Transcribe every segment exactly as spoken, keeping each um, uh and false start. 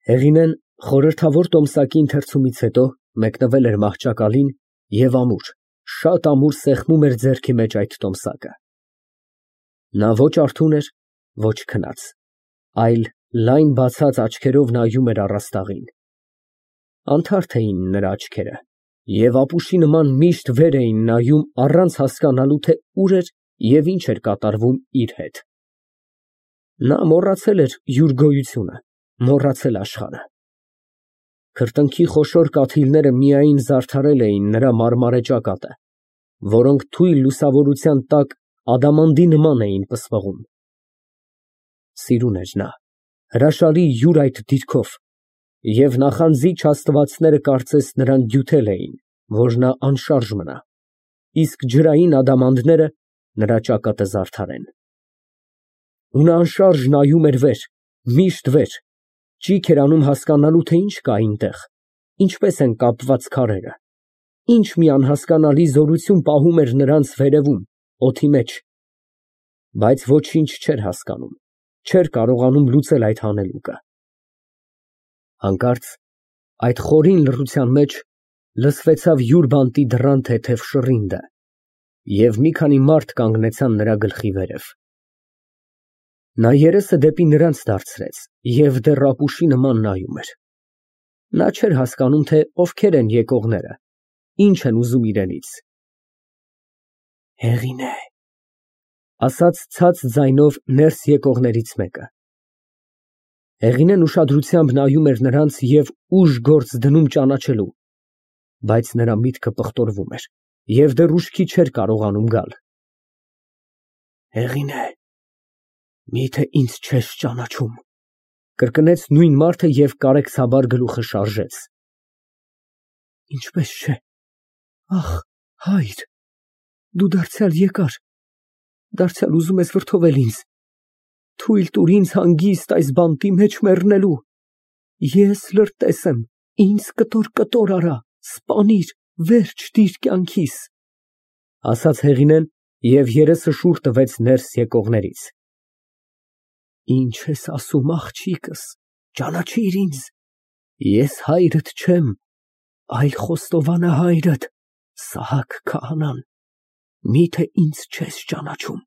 Հեղինեն խորհրդավոր տոմսակի ընթերցումից հետո մեկնվել էր մահճակալին և ամուր, շատ ամուր սեղմում էր ձեռքի մեջ այդ տոմսակը։ Նա ոչ արթուն էր, ոչ քնած, այլ լայն բացած աչքերով նայում էր առաստաղին։ Անթարթ էին նրա աչքերը և ապուշի նման միշտ վեր էին նայում առանց հասկանալու, թե ուր էր և ինչ էր կատարվում իր հետ։ Նա մոռացել էր յուր գոյությունը, մոռացել աշխարհը։ Քրտինքի խոշոր կաթիլները միայն զարդարել էին նրա մարմարե ճակատը, որոնք թույլ լուսավորության տակ ադամանդի նման էին պսպղում։ Սիրուն էր նա, հրաշալի յուր այդ դիրքով, և նախանձի չաստվածները կարծես նրան դյութել էին, որ նա անշարժ մնա, իսկ ջրային ադամանդները նրա ճակատը զարդարեն։ Ու նա անշարժ նայում էր վեր, միշտ վեր, ճիգ էր անում հասկանալու, թե ինչ կա այնտեղ, ինչպես են կապված քարերը, ինչ մի անհասկանալի զորություն պահում էր նրանց վերևում, օդի մեջ, բայց ոչինչ չէր հասկանում, չէր կարողանում լուծել այդ հանելուկը։ Հանկարծ այդ խորին լռության մեջ լսվեցավ յուր բանտի դռան թեթև շռինդը, և մի քանի մարդ կանգնեցան նրա գլխի վերև։ Նա երեսը դեպի նրանց դարձրեց և դեռ ապուշի նման նայում էր։ Նա չէր հասկանում, թե ովքեր են եկողները, ինչ են ուզում իրենից։ Հեղինե, ֊ ասաց ցած ձայնով ներս եկողներից մեկը։ Հեղինեն ուշադրությամբ նայում էր նրանց և ուժ֊գործ դնում ճանաչելու, բայց նրա միտքը պղտորվում էր և դեռ ուշքի չէր կարողանում գալ։ Հեղինե, մի՞թե ինձ չես ճանաչում, ֊ կրկնեց նույն մարդը և կարեկցաբար գլուխը շարժեց։ Ինչպես չէ, ախ, հայր, դու դարձյալ եկար, դարձյալ ուզում ես վրդովել ինձ, թույլ տուր ինձ հանգիստ այս բանտի մեջ մեռնելու, ես լրտես եմ, ինձ կտոր֊կտոր արա, սպանիր, վերջ դիր կյանքիս, ֊ ասաց Հեղինեն և երեսը շուռ տվեց ներս եկողներից։ Ինչ ես ասում, աղջիկս, ճանաչիր ինձ, ես հայրդ չեմ, այլ խոստովանը հայրդ, Սահակ քահանան, մի՞թե ինձ չես ճանաչում,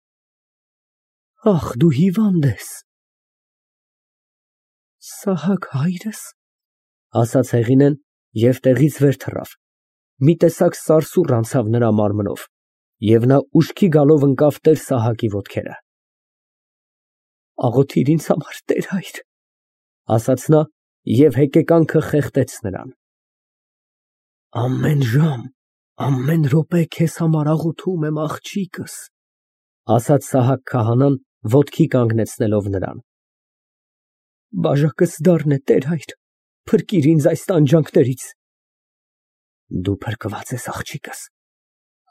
ախ, դու հիվանդ ես։ Սահակ հայրս, ֊ ասաց Հեղինեն և տեղից վեր թռավ, մի տեսակ սարսուռ անցավ նրա մարմնով, և նա ուշքի գալով ընկավ տեր֊Սահակի ոտքերը։ Աղոթիր ինձ համար, տեր֊հայր, ֊ ասաց նա և հեկեկանքը խեղդեց նրան։ Ամեն ժամ, ամեն րոպե քեզ համար աղոթում եմ, աղջիկս, ֊ ասաց Սահակ քահանան, ոտքի կանգնեցնելով նրան։ Բաժակս դառն է, տեր֊հայր, փրկիր ինձ այս տանջանքներից։ Դու փրկված ես, աղջիկս,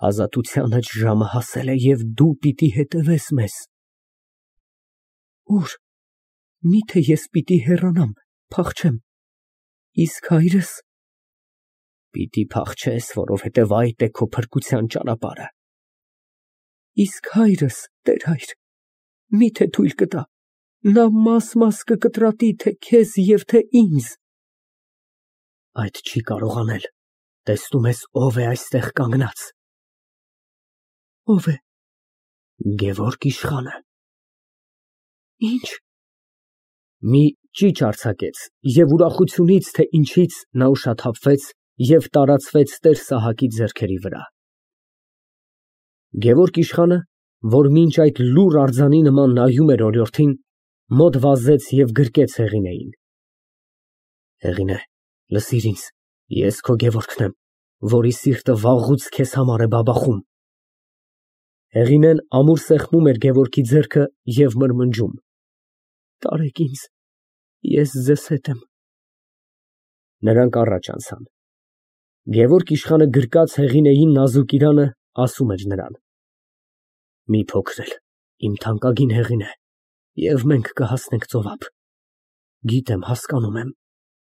ազատությանդ ժամը հասել է և դու պիտի հետևես մեզ։ Ուր, մի՞թե ես պիտի հեռանամ, փախչեմ, իսկ հայրս։ Պիտի փախչես, որովհետև այդ է քո փրկության ճանապարհը։ Իսկ հայրս, տեր֊հայր, մի՞թե թույլ կտա, նա մաս֊մաս կկտրատի թե քեզ և թե ինձ։ Այդ չի կարող անել, տեսնում ես ով է այստեղ կանգնած։ Ո՞վ է։ Գևորգ իշխանը։ Ինչ։ Մի ճիչ արձակեց և ուրախությունից, թե ինչից, նա ուշաթափվեց և տարածվեց տեր֊Սահակի ձեռքերի վրա։ Գևորգ իշխանը, որ մինչ այդ լուռ արձանի նման նայում էր օրիորդին, մոտ վազեց և գրկեց Հեղինեին։ Հեղինե, լսիր ինձ, ես քո Գևորգն եմ, որի սիրտը վաղուց քեզ համար է բաբախում։ Հեղինեն ամուր սեղմում էր Գևորգի ձեռքը և մրմնջում. Տարեք ինձ, ես ձեզ հետ եմ։ Նրանք առաջ անցան։ Գևորգ իշխանը գրկած Հեղինեի նազուկ իրանը, ասում էր նրան. Մի փոքրել, իմ թանկագին Հեղինե, և մենք կհասնենք ծովափ։ Գիտեմ, հասկանում եմ,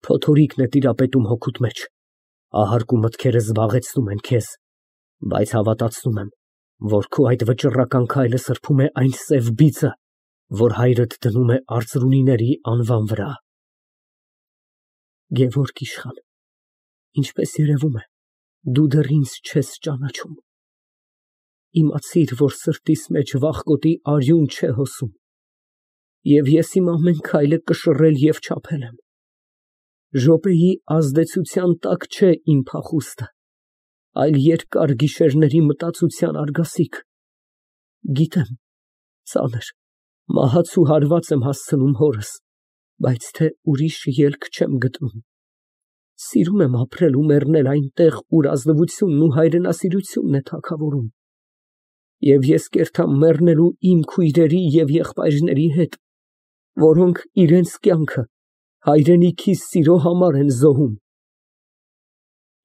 փոթորիկն է տիրապետում հոգուդ մեջ, ահարկու մտքերը զբաղեցնում են քեզ, բայց հավատացնում եմ, որ քո այդ վճռական քայլը սրբում է այն սև բիծը, որ հայրդ դնում է արծրունիների անվան վրա։ Գևորգ իշխան, ինչպես երևում է, դու դեռ ինձ չես ճանաչում։ Իմացիր, որ սրտիս մեջ վախկոտի արյուն չէ հոսում, և ես իմ ամեն քայլը կշռել և չափել եմ։ Րոպեի ազդեցության տակ չէ իմ փախուստը, այլ երկար գիշերների մտածության արգասիկ։ Գիտեմ, ծանր, մահացու հարված եմ հասցնում հորս, բայց թե ուրիշ ելք չեմ գտնում։ Սիրում եմ ապրել ու մեռնել այնտեղ, ուր ազնվությունն ու հայրենասիրությունն է թագավորում։ Եվ ես կերթամ մեռնելու իմ քույրերի և եղբայրների հետ, որոնք իրենց կյանքը հայրենիքիս սիրո համար են զոհում։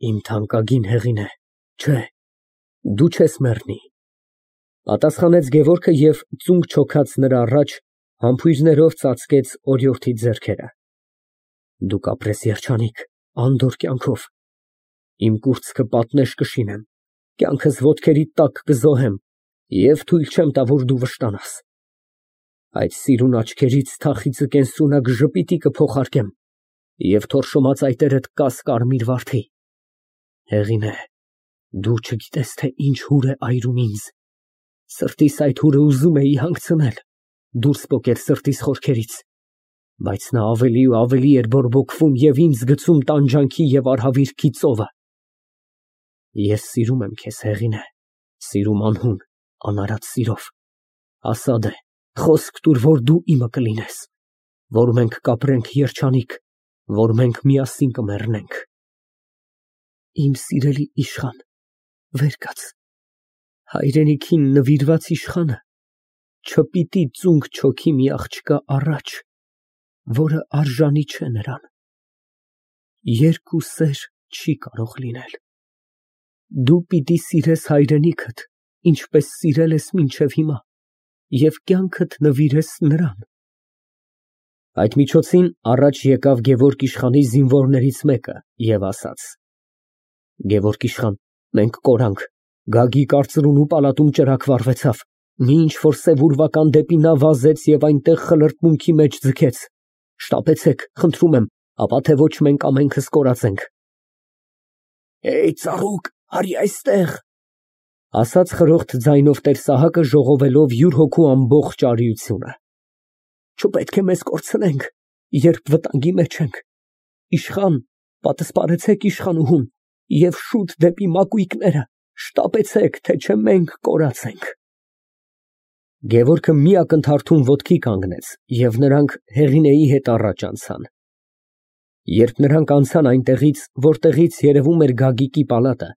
Իմ թանկագին Հեղինե, չէ, դու չես մեռնի, պատասխանեց Գևորգը և ծունկ չոքած նրա առաջ համբույրներով ծածկեց օրիորդի ձեռքերը։ Դու կապրես երջանիկ, անդորր կյանքով, իմ կուրծքը պատնեշ կշինեմ, կյանքս ոտքերիդ տակ կզոհեմ և թույլ չեմ տա, որ դու վշտանաս։ Այդ սիրուն աչքերից թախիծը կենսունակ ժպիտի կփոխարկեմ և թորշոմած այտերդ կաս կարմիր վարդի։ Հեղինե, դու չգիտես, թե ինչ հուր է այրում ինձ, սրտիս այդ հուրը ուզում էի հանգցնել, դուրս պոկել սրտիս խորքերից, բայց նա ավելի ու ավելի էր բորբոքվում և ինձ գցում տանջանքի և արհավիրքի ծովը։ Ես սիրում եմ քեզ, Հեղինե, սիրում անհուն, անարատ սիրով, ասա դե, խոսք տուր, որ դու իմը կլինես, որ մենք կապրենք երջանիկ, որ մենք միասին կմեռնենք։ Իմ սիրելի իշխան, վեր կաց, հայրենիքին նվիրված իշխանը չպիտի ծունկ չոքի մի աղջկա առաջ, որը արժանի չէ նրան։ Երկու սեր չի կարող լինել։ Դու պիտի սիրես հայրենիքդ, ինչպես սիրել ես մինչև հիմա, և կյանքդ նվիրես նրան։ Այդ միջոցին առաջ եկավ Գևորգ իշխանի զինվորներից մեկը և ասաց. Գևորգ իշխան, մենք կորանք, Գագի կարծրուն ու պալատում ճրագ վառվեցավ, մի ինչ-որ սև ուրվական դեպի նա վազեց և այնտեղ խլրտմունքի մեջ ձգեց, շտապեցեք, խնդրում եմ, ապա թե ոչ մենք ամենքս կորածենք։ Էյ, ծառուկ, արի այստեղ, ասաց խրոխտ ձայնով տեր֊Սահակը, ժողովելով յուր հոգու ամբողջ արիությունը։ Չպետք է մեզ կորցնենք, երբ վտանգի մեջ ենք։ Իշխան, պատսպարեցեք իշխանուհուն և շուտ դեպի մակույկները, շտապեցեք, թե չէ մենք կորած ենք։ Գևորգը մի ակնթարթում ոտքի կանգնեց, և նրանք Հեղինեի հետ առաջ անցան։ Երբ նրանք անցան այնտեղից, որտեղից երևում էր Գագիկի պալատը,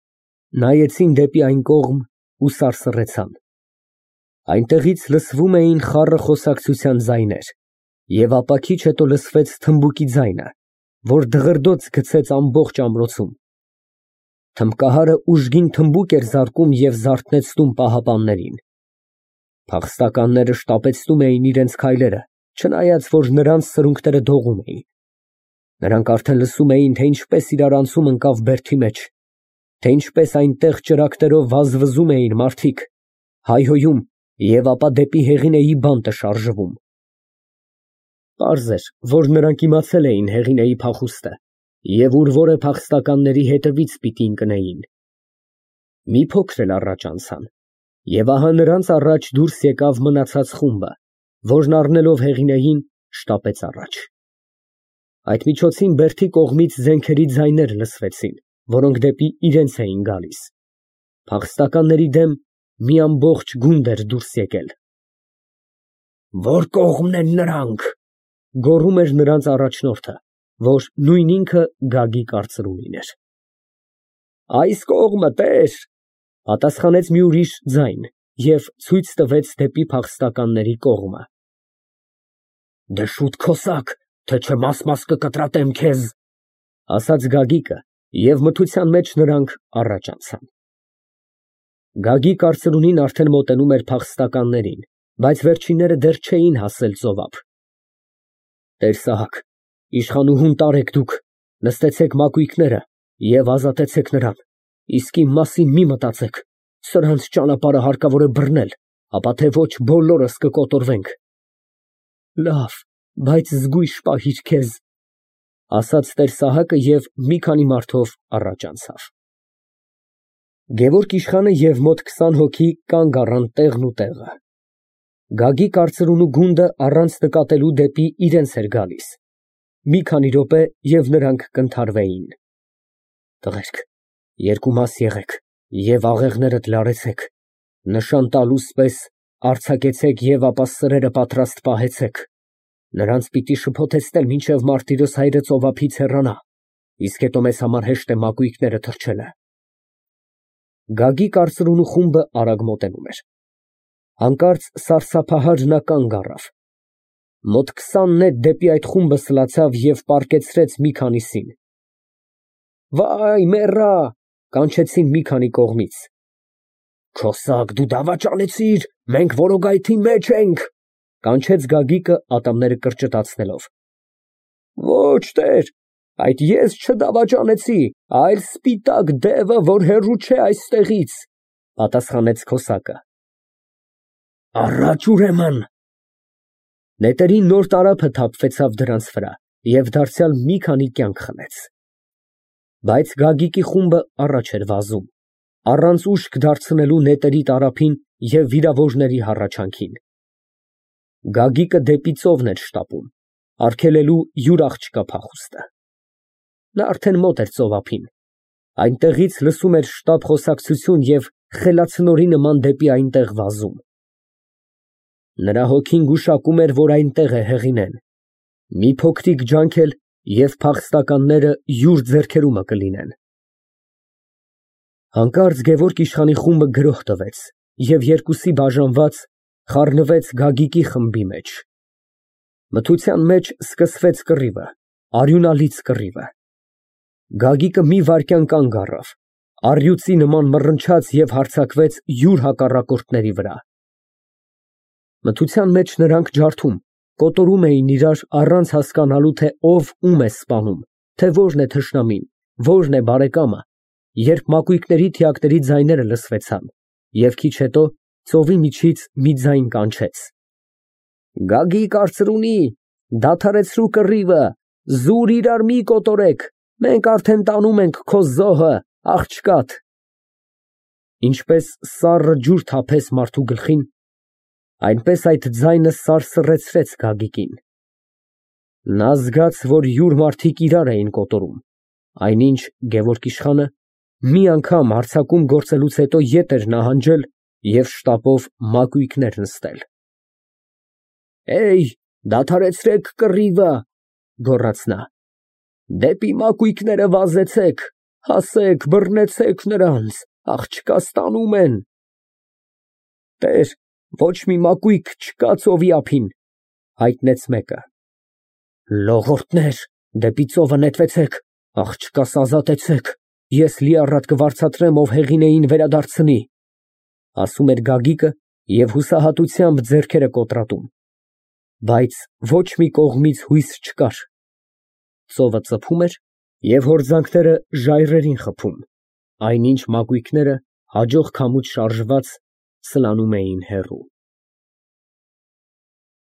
նայեցին դեպի այն կողմ ու սարսռեցան։ Այնտեղից լսվում էին խառը խոսակցության ձայներ, և ապա քիչ հետո լսվեց թմբուկի ձայնը, որ դղրդոց գցեց ամբողջ ամրոցում։ Թմբկահարը ուժգին թմբուկ էր զարկում և զարթնեցնում պահապաններին։ Փախստականները շտապեցնում էին իրենց քայլերը, չնայած որ նրանց սրունքները դողում էին։ Նրանք արդեն լսում էին, թե ինչպես իրարանցում ընկավ բերդի մեջ, թե ինչպես այնտեղ ճրագներով վազվզում էին մարդիկ, հայհոյում և ապա դեպի Հեղինեի բանտը շարժվում։ Պարզ էր, որ նրանք իմացել էին Հեղինեի փախուստը և ուր որ է փախստականների հետևից պիտի ընկնեին։ Մի փոքր էլ առաջ անցան, և ահա նրանց առաջ դուրս եկավ մնացած խումբը, որն առնելով Հեղինեին, շտապեց առաջ։ Այդ միջոցին բերդի կողմից զենքերի ձայներ լսվեցին, որոնք դեպի իրենց էին գալիս։ Փախստականների դեմ մի ամբողջ գունդ էր դուրս եկել։ Որ կողմն են նրանք, գոռում էր նրանց առաջնորդը, որ նույն ինքը Գագի կարծրունին էր։ Այս կողմը, տեր, պատասխանեց մի ուրիշ ձայն և ցույց տվեց դեպի փախստականների կողմը։ Դե շուտ քոսակ, թե չէ մաս֊մաս կկտրատեմ քեզ, ասաց Գագիկը, և մթության մեջ նրանք առաջ անցան։ Գագի կարծրունին արդեն մոտենում էր փախստականներին, բայց վերջինները դեռ չէին հասել ծովափ։ Տեր֊Սահակ, իշխանուհուն տարեք դուք, նստեցեք մակույկները և ազատեցեք նրան, իսկ իմ մասին մի մտածեք, սրանց ճանապարհը հարկավոր է բռնել, ապա թե ոչ բոլորս կկոտորվենք։ Լավ, բայց զգույշ պահիր քեզ, ասաց տեր Սահակը և մի քանի մարդով առաջ անցավ։ Գևորգ իշխանը և մոտ քսան հոգի կանգ առան տեղն ու տեղը։ Գագիկ արծրունու գունդը առանց նկատելու դեպի իրենց էր գալիս։ Մի քանի րոպե և նրանք կընդհարվեին։ Տղերք, երկու մաս եղեք և աղեղներդ լարեցեք, նշան տալուս պես արձակեցեք և ապա սրերը պատրաստ պահեցեք, նրանց պիտի շփոթեցնել, մինչև մարտիրոս հայրը ծովափից հեռանա, իսկ հետո մեզ համար հեշտ է մակույկները թռչելը։ Գագիկ արծրունու խումբը արագ մոտենում էր։ Հանկարծ սարսափահար նա կանգ առավ։ Մոտ քսան նետ դեպի այդ խումբը սլացավ և պառկեցրեց մի քանիսին։ Վայ, մեռա, կանչեցին մի քանի կողմից։ Քոսակ, դու դավաճանեցիր, մենք որոգայթի մեջ ենք, կանչեց Գագիկը ատամները կրճտացնելով։ Ոչ, տեր, այդ ես չդավաճանեցի, այլ սպիտակ դևը, որ հեռու չէ այստեղից, պատասխանեց քոսակը։ Առաջ ուրեմն։ Նետերի նոր տարափը թափվեցավ դրանց վրա և դարձյալ մի քանի կյանք խլեց։ Բայց Գագիկի խումբը առաջ էր վազում, առանց ուշք դարձնելու նետերի տարափին և վիրավորների հառաչանքին։ Գագիկը դեպի ծովն էր շտապում, արգելելու յուր աղջկա փախուստը։ Նա արդեն մոտ էր ծովափին, այնտեղից լսում էր շտապ խոսակցություն և խելացնորի նման դեպի այնտեղ վազում։ Նրա հոգին գուշակում էր, որ այնտեղ է Հեղինեն, մի փոքրիկ ջանք էլ և փախստականները յուր ձեռքերումը կլինեն։ Հանկարծ Գևորգ իշխանի խումբը գրոհ տվեց և երկուսի բաժանված խառնվեց Գագիկի խմբի մեջ։ Մթության մեջ սկսվեց կռիվը, արյունալից կռիվը։ Գագիկը մի վայրկյան կանգ առավ, առյուծի նման մռնչաց և հարձակվեց յուր հակառակորդների վրա։ Մթության մեջ նրանք ջարդում, կոտորում էին իրար առանց հասկանալու, թե ով ում է սպանում, թե որն է թշնամին, որն է բարեկամը, երբ մակույկների թիակների ձայները լսվեցան, և քիչ հետո ծովի միջից մի ձայն կանչեց. Գագիկ արծրունի, դադարեցրու կռիվը, զուր իրար մի կոտորեք, մենք արդեն տանում ենք քո զոհը, աղջկադ։ Ինչպես սառը ջուր թափես մարդու գլխին, այնպես այդ ձայնը սարսռեցրեց Գագիկին։ Նա զգաց, որ յուր մարդիկ իրար էին կոտորում, այնինչ Գևորգ իշխանը մի անգամ հարձակում գործելուց հետո ետ էր նահանջել և շտապով մակույկներ նստել։ Էյ, դադարեցրեք կռիվը, գոռաց նա, դեպի մակույկները վազեցեք, հասեք, բռնեցեք նրանց, աղջկաս տանում են։ Տեր, ոչ մի մակույկ չկա ծովի ափին, հայտնեց մեկը։ Լողորդներ, դեպի ծովը նետվեցեք, աղջկաս ազատեցեք, ես լիառատ կվարձատրեմ, ով Հեղինեին վերադարձնի, ասում էր Գագիկը և հուսահատությամբ ձեռքերը կոտրատում, բայց ոչ մի կողմից հույս չկար։ Ծովը ծփում էր և հորձանքները ժայռերին խփում, այնինչ մակույկները հաջող քամուց շարժված սլանում էին հեռու։